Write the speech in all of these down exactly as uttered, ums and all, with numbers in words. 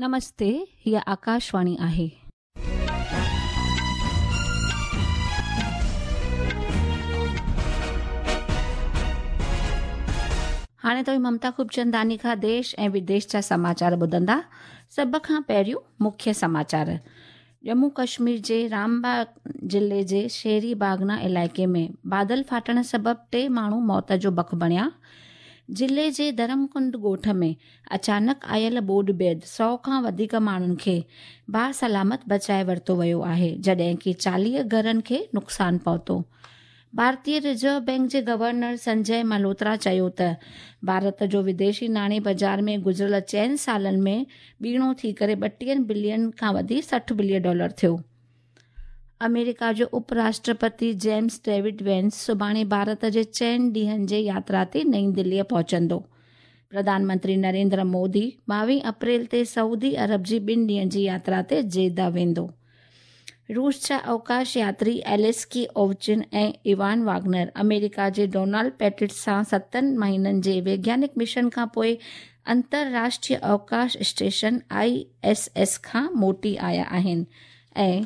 نمستي، هيءَ آڪاشواڻي آهي. هاڻي توهين ممتا خوبچنداني کان ديش ۽ وديش جا سماچار ٻڌندا. سڀ کان پهريون مکيه سماچار. ڄمون ڪشمير جي رامباغ ضلعي جي شيري باگنا علائقي ۾ بادل ڦاٽڻ سبب ٽي ماڻهو موت جو بک بڻيا. ضلعي جي ڌرمڪنڊ ڳوٺ ۾ اچانڪ آيل ٻوڏ بعد سؤ کان وڌيڪ ماڻهن کي باسلامت بچائي ورتو ويو آهي، جڏهن ڪه چاليهه گهرن کي نقصان پهتو. ڀارتيه رزرو بينڪ جي گورنر سنجي ملهوترا چيو ته ڀارت جو وديشي ناڻي بازار ۾ گذريل چئن سالن ۾ ٻيڻو ٿي ڪري ٻٽيهه بلين کان وڌي سٺ بلين ڊالر ٿيو. آمريڪا جو اپ راشٽرپتي جيمس ڊيوڊ وينس سڀاڻي ڀارت جي چئن ڏينهن جي ياترا تي نئين دليءَ پهچندو. پرڌان منتري نريندر مودي ٻاويهه اپريل تي سعودي عرب جي ٻن ڏينهن جي ياترا تي جيدا ويندو. روس جا اوڪاش ياتري ايليسڪي اووچن ۽ ايوان واگنر آمريڪا جي ڊونالڊ پيٽٽ سان ستن مهينن جي ويگيانڪ مشن کان پوءِ انترراشٽريه اوڪاش اسٽيشن I S S کان موٽي آيا آهن. ۽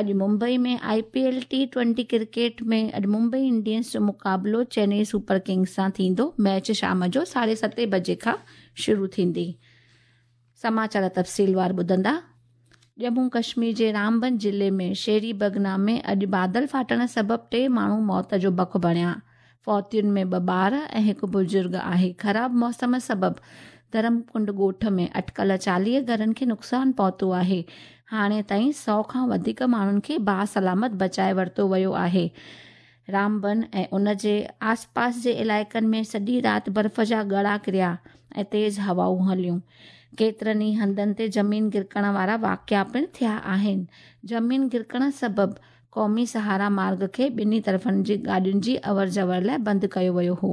اڄ Mumbai ۾ I P L T twenty cricket ۾ اڄ ممبئي انڊينز جو مقابلو چنئي سپر ڪنگز سان ٿيندو. ميچ شام جو ساڍي ستين بجي کان شروع ٿيندي. سماچار تفصيلوار ٻڌندا. ڄمون ڪشمير جي رامبن ضلعي ۾ شيري بگنا ۾ اڄ بادل ڦاٽڻ سبب ٽي ماڻهو موت جو بک بڻيا. فوتين ۾ ٻه ٻار ۽ هڪ بزرگ آهي. خراب موسم سبب ڌرمڪنڊ ڳوٺ ۾ اٽڪل چاليهه گهرن کي نقصان پهتو آهي. هاڻي تائين سؤ کان وڌيڪ ماڻهن کي باسلامت بچائي ورتو ويو آهي. رامبن ۽ ان جي آسپاس جي علائقن ۾ سڄي رات برف جا ڳڙا ڪريا ۽ تيز هوائون هليون. ڪيترن ئي هنڌن تي زمين گرڪڻ وارا واقعا پڻ ٿيا آهن. زمين گرڪڻ سبب قومي سهارا مارگ کي ٻنهي طرفن جي گاڏين جي اور جور لاءِ بند ڪيو ويو هو.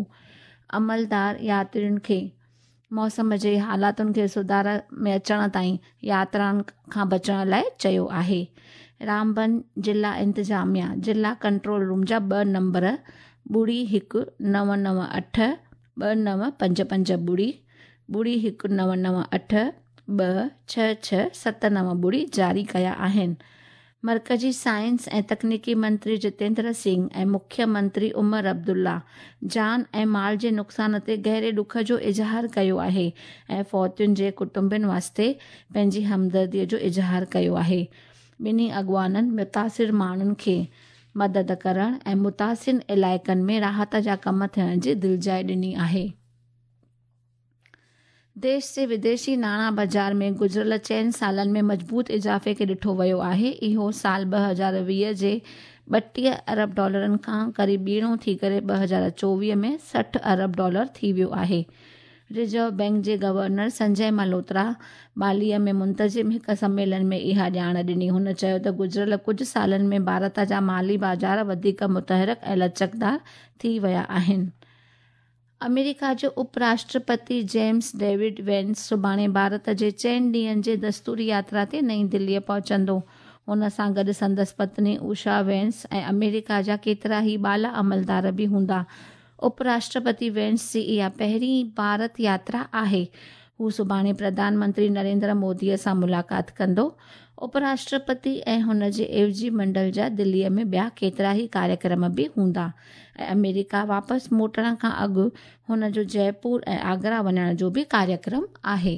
عملدار ياترين کي موسم جي حالاتن کي سڌار ۾ اچڻ تائين ياترائن کان بچڻ لاءِ چيو آهي. رامبن ضلع انتظاميا ضلع ڪنٽرول روم جا ٻه نمبر ٻڙي هڪ نو نو اٺ ٻه نو پنج پنج ٻڙي ٻڙي هڪ نو نو اٺ ٻه ڇهه ڇهه ست نو ٻڙي جاري ڪيا آهن. مرڪزي سائنس ۽ تڪنيڪي منتري جتيندر سنگهه ۽ مکيه منتري عمر عبدالله جان ۽ مال جي نقصان تي گهري ڏک جو اظهار ڪيو آهي ۽ فوتين جي ڪٽنبن واسطي پنهنجي همدرديءَ جو اظهار ڪيو آهي. ٻنهي اڳواڻن متاثر ماڻهن کي مدد ڪرڻ ۽ متاثر علائقن ۾ راحت جا ڪم ٿيڻ جي دلجاءِ ڏني آهي. ديش جي وديشي ناڻا بازار ۾ گذريل چئن سالن ۾ مضبوط اضافي کي ڏٺو ويو آهي. اهو سال ٻه هزار ويهه جي ٻٽيهه ارب ڊالرن کان قريب ٻيڻو ٿي ڪري ٻه هزار چوويهه ۾ سٺ ارب ڊالر ٿي ويو آهي. رزرو بينڪ جي گورنر سنجي ملهوترا باليءَ ۾ منتظم هڪ سميلن ۾ اها ڄاڻ ڏني. هن چيو ته گذريل ڪجهه سالن ۾ ڀارت جا مالي بازار وڌيڪ متحرڪ ۽ لچڪدار ٿي ويا آهن. آمريڪا جو اپ راشٽرپتي جيمس ڊيوڊ وينس سڀاڻي ڀارت جي چئن ڏينهن جي دستوري ياترا تي نئين دليءَ پهچندو. هن سان گڏ سندس پتني اوشا وينس ۽ آمريڪا جا ڪيترا ئي بالا عملدار به هوندا. اپ راشٽرپتي وينس جي اها پهرين ڀارت ياترا آهي. هو سڀاڻي پرڌان منتري نريندر موديءَ سان ملاقات ڪندو. اپ راشٽرپتي ۽ هن جي عيوضي منڊل جا دليءَ ۾ ٻيا ڪيترا ئي ڪاريڪرم به هوندا ۽ آمريڪا واپس موٽڻ کان اڳ هن جو جئپور ۽ آگرا وڃڻ جو به ڪاريڪرم آهي.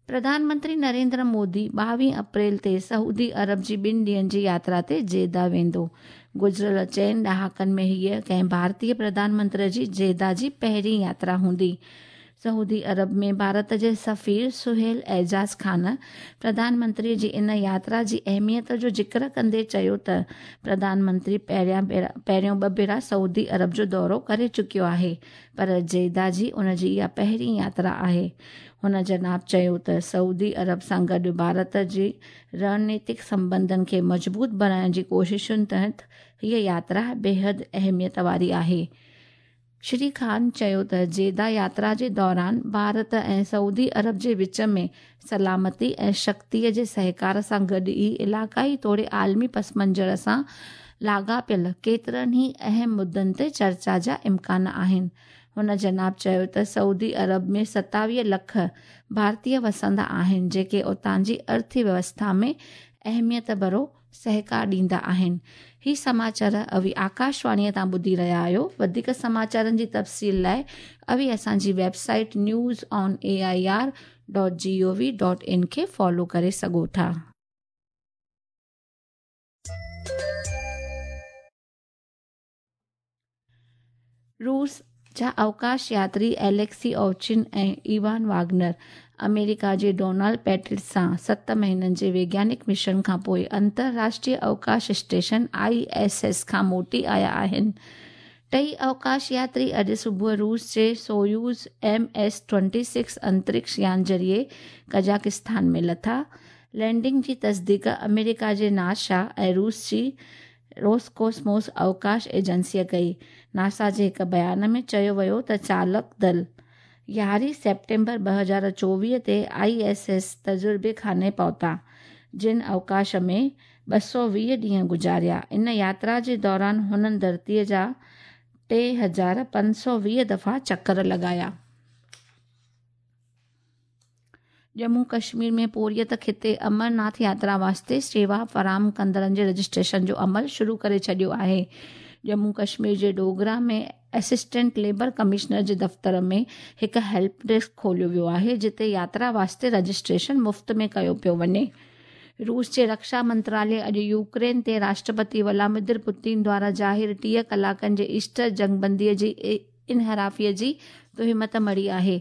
پرڌان منتري نريندر مودي ٻاويهه اپريل تي سعودي عرب جي ٻن ڏينهن جي ياترا تي جيدا ويندو. گذريل چئن ڏهاڪن ۾ هيءَ ڪنهن ڀارتيه پرڌان منتري جي جيدا جي پهرين ياترا هوندي. سعودي عرب ۾ ڀارت جي سفير سهيل اعجاز خان پرڌان منتري جي ان ياترا جي اهميت جو ذڪر ڪندي چيو ته پرڌان منتري پهريان ڀيرا پهريون ٻه ڀيرا سعودي عرب جو دورو ڪري چڪيو آهي، پر جيدا جي ان جي اها پهرين ياترا آهي. هن جناب چيو ته سعودي عرب سان گڏ ڀارت جي رڻنيتڪ سنٻنڌن کي مضبوط بڻائڻ جي ڪوششن تحت هيءَ ياترا بيحد اهميت واري آهي. شري خان چيو ته جيدا ياترا جي دوران ڀارت ۽ سعودي عرب جي وچ ۾ سلامتي ۽ شڪتيءَ جي سهڪار سان گڏ ئي علائقائي توڙي عالمي پس منظر سان لاڳاپيل ڪيترن ئي اهم مدعن تي چرچا جا امڪان آهن. हुन जनाब चयो त सऊदी अरब में सतावीह लख भारतीय वसंदा आहिनि, जेके उतां जी अर्थव्यवस्था में अहमियत भरो सहकार ॾींदा आहिनि। ही समाचार अवी आकाशवाणीअ तां ॿुधी रहिया आहियो। वधीक समाचारनि जी तफ़सील लाइ अवी असांजी website news on A I R dot G O V dot in खे फॉलो करे सघो था। रूस जा अवकाश यात्री एलेक्सी ओवचिन ऐं इवान वागनर अमेरिका जे डोनाल्ड पैट्रिक सां सत महीननि जे वैज्ञानिक मिशन खां पोइ अंतरराष्ट्रीय अवकाश स्टेशन I S S खां मोटी आया आहिनि। टई अवकाश यात्री अॼु सुबुह रूस जे Soyuz M S twenty six अंतरिक्ष यान ज़रिए कज़ाकिस्तान में लथा। लैंडिंग जी तस्दीक अमेरिका जे नासा ऐं रूस जी रोसकोस्मोस अवकाश एजेंसीअ कई। नासा जे हिकु बयान में चयो वियो त चालक दल यारहीं सेप्टेम्बर ॿ हज़ार चोवीह ते I S S तजुर्बे खाने पहुता, जिन अवकाश में ॿ सौ वीह ॾींहं गुज़ारिया। इन यात्रा जे दौरान हुननि धरतीअ जा टे हज़ार पंज सौ वीह दफ़ा चक्कर लॻाया। जम्मू कश्मीर में पोरियत खिते अमरनाथ यात्रा वास्ते सेवा फराहम कंदड़नि जे रजिस्ट्रेशन जो अमल शुरू करे छॾियो आहे। जम्मू कश्मीर जे डोगरा में असिस्टेंट लेबर कमिश्नर जे दफ़्तर में हिकु हेल्प डेस्क खोलियो वियो आहे, जिते यात्रा वास्ते रजिस्ट्रेशन मुफ़्त में कयो पियो वञे। रूस जे रक्षा मंत्रालय अॼु यूक्रेन ते राष्ट्रपति व्लादिमीर पुतिन द्वारा ज़ाहिर टीह कलाकनि जे ईस्टर जंगबंदीअ जी इनहराफ़ीअ जी तोहमत मढ़ी आहे।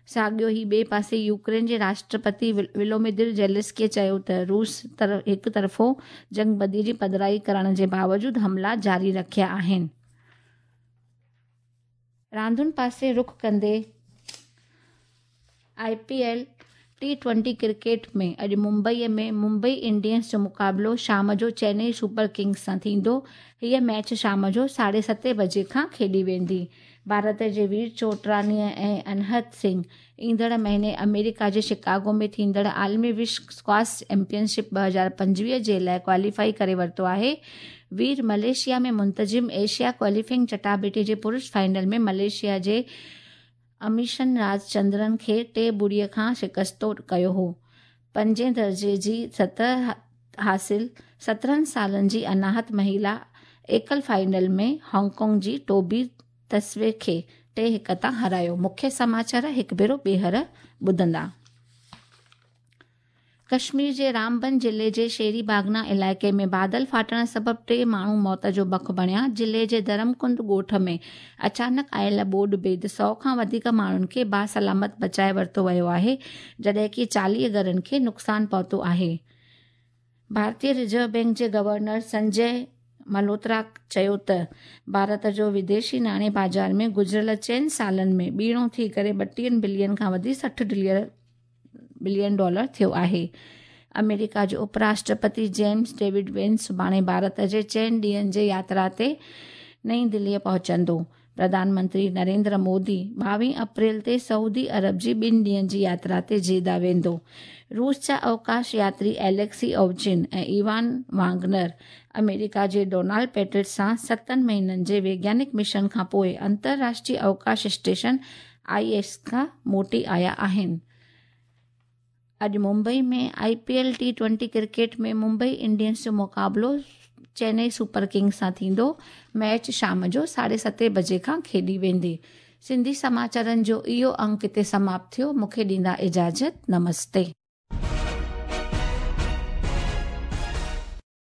साॻियो ई ॿिए पासे यूक्रेन जे राष्ट्रपति व्लादिमीर ज़ेलेंस्की चयो त रूस तरफ़ हिकु तरफ़ो जंगबंदी जी पधराई करण जे बावजूद हमला जारी रखिया आहिनि। रांदुनि पासे रुख कंदे I P L T twenty cricket में अॼु मुंबईअ में मुंबई इंडियंस जो मुक़ाबिलो शाम जो चेन्नई सुपर किंग्स सां थींदो। हीअ मैच शाम जो साढे सते बजे खां खेॾी वेंदी। भारत जे वीर चोटरानीअ ऐं अनहद सिंह ईंदड़ महीने अमेरिका जे शिकागो में थींदड़ आलमी विश्व स्क्वॉश चैंपियनशिप ॿ हज़ार पंजवीह जे लाइ क्वालीफाई करे वरितो आहे। वीर मलेशिया में मुंतज़िम एशिया क्वालीफाइंग चटाबेटी जे पुरुष फाइनल में मलेशिया जे अमीशन राजचंद्रन खे टे ॿुड़ीअ खां शिकस्तो कयो हो। पंजे दर्जे जी सतह हासिल सत्रहं सालनि जी अनाहत महिला एकल फाइनल में हांगकांग जी टोबी तस्वे खे टे हिकु तां हरायो। मुख्य समाचार हिकु भेरो ॿीहर ॿुधंदा। कश्मीर जे रामबन ज़िले जे शेरी बागना इलाइक़े में बादल फाटण सबबि टे माण्हू मौत जो बख बणिया। ज़िले जे धर्मकुंड ॻोठ में अचानक आयल ॿोॾ बैद सौ खां वधीक माण्हुनि खे बासलामत बचाए वरितो वियो आहे, जॾहिं की चालीह घरनि खे नुक़सानु पहुतो आहे। भारतीय रिज़र्व बैंक जे गवर्नर संजय मल्होत्रा चयो त भारत जो विदेशी नाणे बाज़ार में गुज़िरियल चइनि सालनि में ॿीणो थी करे ॿटीहनि बिलियन खां वधी सठि बिलियन डॉलर थियो आहे। अमेरिका जो उपराष्ट्रपति जेम्स डेविड वेंस सुभाणे भारत जे चइनि ॾींहनि जे यात्रा ते नई दिल्लीअ पहुचंदो। प्रधानमंत्री नरेंद्र मोदी ॿावीह अप्रैल ते सऊदी अरब जी ॿिनि ॾींहनि जी यात्रा ते जेदा वेंदो। रूस जा अवकाश यात्री एलेक्सी ओवचिन ऐं इवान वागनर अमेरिका जे डोनाल्ड पैट्रिक सां सतनि महीननि जे वैज्ञानिक मिशन खां पोइ अंतरराष्ट्रीय अवकाश स्टेशन I S खां मोटी आया आहिनि। अॼु मुंबई में I P L T twenty cricket में मुंबई इंडियंस जो मुक़ाबिलो चेन्नई सुपर किंग्स सां थींदो। मैच शाम जो साढे सते बजे खां खेॾी वेंदी। सिंधी समाचारनि जो इहो अंक हिते समाप्त थियो। मूंखे ॾींदा इजाज़त। नमस्ते।